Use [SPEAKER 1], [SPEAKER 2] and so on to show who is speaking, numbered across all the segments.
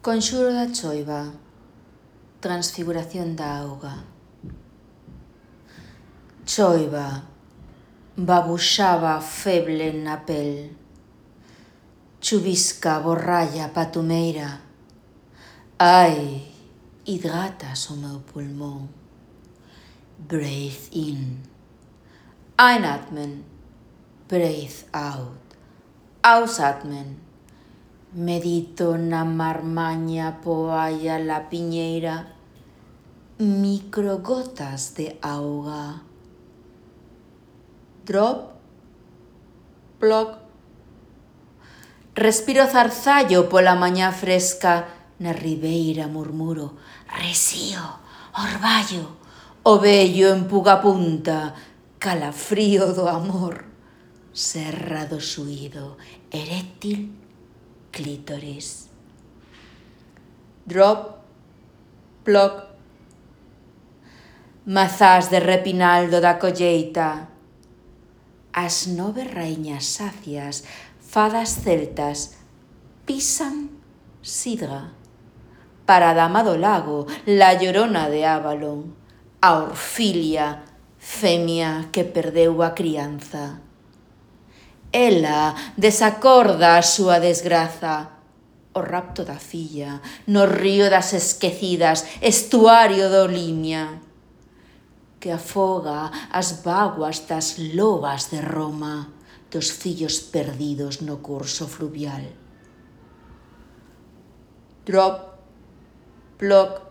[SPEAKER 1] Conxuro da choiva, transfiguración da auga. Choiva, babuxaba feble na pel. Chuvisca, borralla, patumeira. Ai, hidratas o meu pulmón. Breathe in. Einatmen. Breathe out. Ausatmen. Medito na marmaña poalla la piñeira. Microgotas de auga. Drop. Plop. Respiro zarzallo pola mañá fresca. Na ribeira murmuro. Resío, orballo. O vello en pugapunta. Calafrío do amor. Serra do xuído. Eréctil. Clítoris. Drop. Plop. Mazás de repinaldo da colleita. As 9 raíñas sacias, fadas celtas, pisan sidra. Para a dama do lago, la llorona de Avalon, a Orfilia, femia que perdeu a crianza. Ela desacorda a súa desgraza, o rapto da filla, no río das esquecidas, estuario do Limia, que afoga as vaguas das lobas de Roma, dos fillos perdidos no curso fluvial. Drop, plop,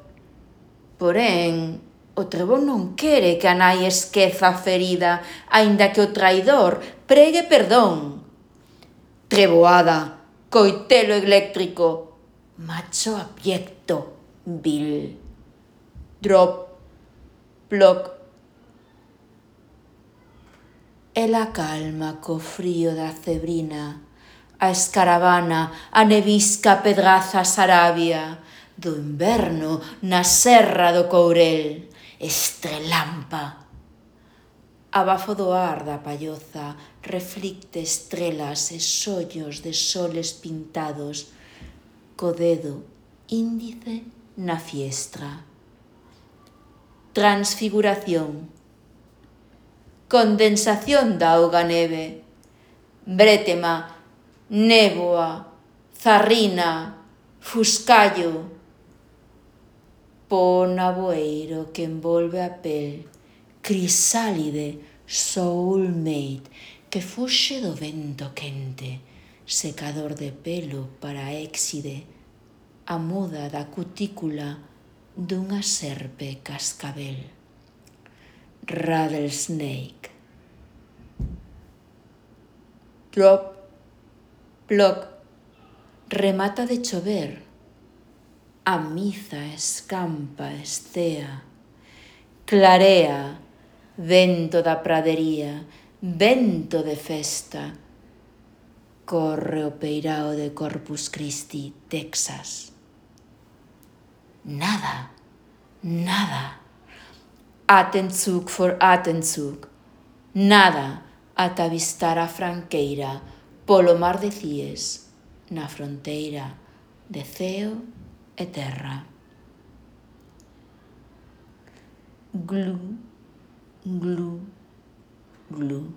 [SPEAKER 1] porén, o trebón non quere que a nai esqueza a ferida, aínda que o traidor pregue perdón. Treboada, coitelo eléctrico, macho abyecto, vil. Drop, plop. Ela calma co frío da cebrina, a escaravana, a nevisca pedraza sarabia, do inverno na serra do Courel, estrelampa. Abafo do ar da palloza reflicte estrelas e sollos de soles pintados, co dedo índice na fiestra. Transfiguración. Condensación da auga neve. Brétema, néboa, zarrina, fuscallo. Po naboeiro que envolve a pel, crisálide, soulmate, que fuxe do vento quente, secador de pelo para éxide, a muda da cutícula dunha serpe cascabel. Rattlesnake. Drop, plop, remata de chover. A miza escampa, escea, clarea, vento da pradería, vento de festa. Corre o peirao de Corpus Christi, Texas. Nada, nada. Atemzug for Atemzug. Nada ata avistar a franqueira polo mar de Cies, na fronteira de ceo e terra. Glu, glu, glu.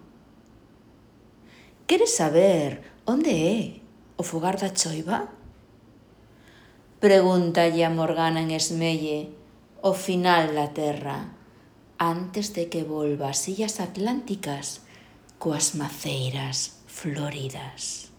[SPEAKER 1] Queres saber onde é o fogar da choiva? Pregúntalle a Morgana en Esmelle, o final da terra, antes de que volva ás illas atlánticas coas maceiras floridas.